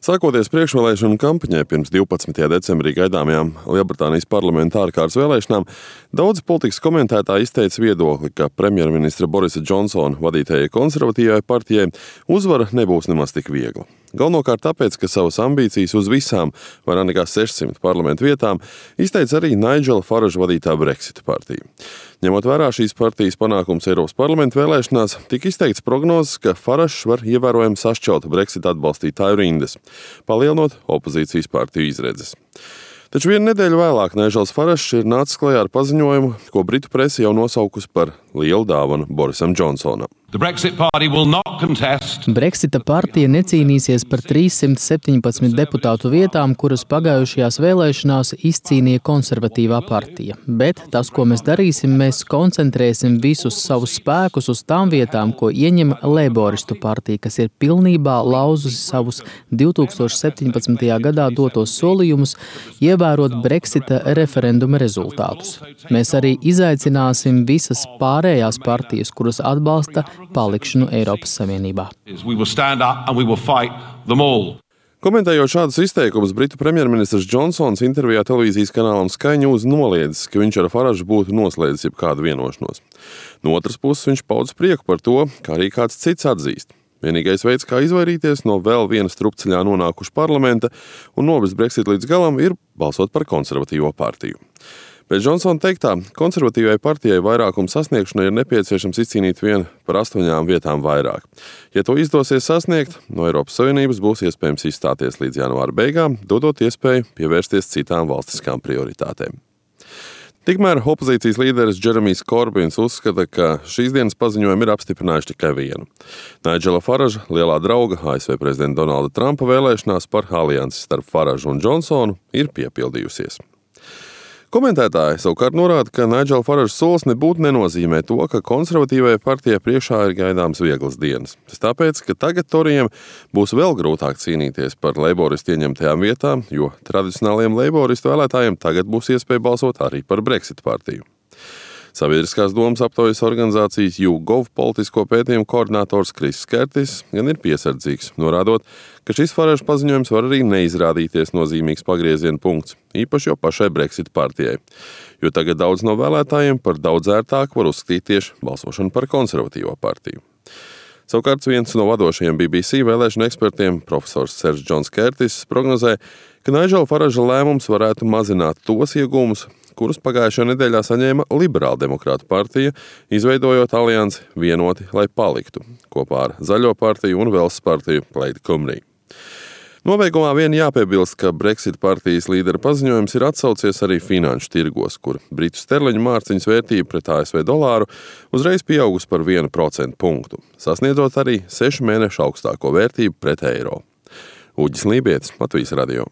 Sākoties priekšvēlēšanu kampaņai pirms 12. decembrī gaidāmajām Lielbritānijas parlamenta ārkārtas vēlēšanām, daudzi politikas komentētāji izteica viedokli, ka premjerministra Borisa Džonsona vadītajai konservatīvajai partijai uzvara nebūs nemaz tik viegla. Galvenokārt tāpēc, ka savas ambīcijas uz visām vairāk nekā 600 parlamentu vietām izteica arī Nigela Faraža vadītā Brexit partija. Ņemot vērā šīs partijas panākums Eiropas parlamenta vēlēšanās, tika izteikts prognozes, ka Faražs var ievērojami sašķelt Brexit atbalstītāju rindas, palielinot opozīcijas partiju izredzes. Taču vienu nedēļu vēlāk Nigels Faražs ir nācis klajā ar paziņojumu, ko britu presa jau nosaukusi par lielu dāvanu Borisam Džonsonam. Brexita partija necīnīsies par 317 deputātu vietām, kuras pagājušajās vēlēšanās izcīnīja konservatīvā partija. Bet tas, ko mēs darīsim, mēs koncentrēsim visus savus spēkus uz tām vietām, ko ieņem Leiboristu partija, kas ir pilnībā lauzusi savus 2017. gadā dotos solījumus, ievērot Brexita referenduma rezultātus. Mēs arī izaicināsim visas pārējās partijas, kuras atbalsta palikšanu Eiropas Savienībā. Komentējot šādus izteikumus, britu premjerministrs Džonsons intervijā televīzijas kanālam Sky News noliedzis, ka viņš ar Faražu būtu noslēdzis jebkādu vienošanos. No otras puses viņš pauda prieku par to, kā arī kāds cits atzīst. Vienīgais veids, kā izvairīties no vēl viena strupceļā nonākuša parlamenta un novest Brexit līdz galam, ir balsot par konservatīvo partiju. Pēc Džonsona teiktā, konservatīvai partijai vairākuma sasniegšanai ir nepieciešams izcīnīt vienu par 8 vietām vairāk. Ja to izdosies sasniegt, no Eiropas Savienības būs iespējams izstāties līdz janvāra beigām, dodot iespēju pievērsties citām valstiskām prioritātēm. Tikmēr opozīcijas līderis Džeremijs Korbins uzskata, ka šīs dienas paziņojumi ir apstiprinājuši tikai vienu. Nigela Faraža, lielā drauga ASV prezidenta Donalda Trumpa vēlēšanās par aliansi starp Faražu un Džonsonu ir piepildījusies. Komentētāji savukārt norāda, ka Nigela Faraža solis nebūtu nenozīmē to, ka konservatīvajai partijai priekšā ir gaidāms vieglas dienas. Tas tāpēc, ka tagad torijiem būs vēl grūtāk cīnīties par leiboristu ieņemtajām vietām, jo tradicionāliem leiboristu vēlētājiem tagad būs iespēja balsot arī par Brexit partiju. Sabiedriskās domas aptaujas organizācijas YouGov politisko pētījumu koordinators Kriss Kertis gan ir piesardzīgs, norādot, ka šis Faraža paziņojums var arī neizrādīties nozīmīgs pagrieziena punkts, īpaši jau pašai Brexit partijai, jo tagad daudz no vēlētājiem par daudz ērtāk var uzskatīt tieši balsošanu par konservatīvo partiju. Savukārt viens no vadošajiem BBC vēlēšanu ekspertiem, profesors Sers Džons Kertis, prognozē, ka Nigela Faraža lēmums varētu mazināt tos iegūmus, kurus pagājušajā nedēļā saņēma Liberāla demokrātu partija, izveidojot aliansi Vienoti, lai paliktu, kopā ar Zaļo partiju un Velsas partiju Plaid Cymru. Nobeigumā vien jāpiebilst, ka Brexit partijas līdera paziņojums ir atsaucies arī finanšu tirgos, kur britu sterliņu mārciņas vērtība pret ASV dolāru uzreiz pieaugusi par 1% punktu, sasniedzot arī 6 mēnešu augstāko vērtību pret eiro. Uģis Lībietis, Latvijas radio.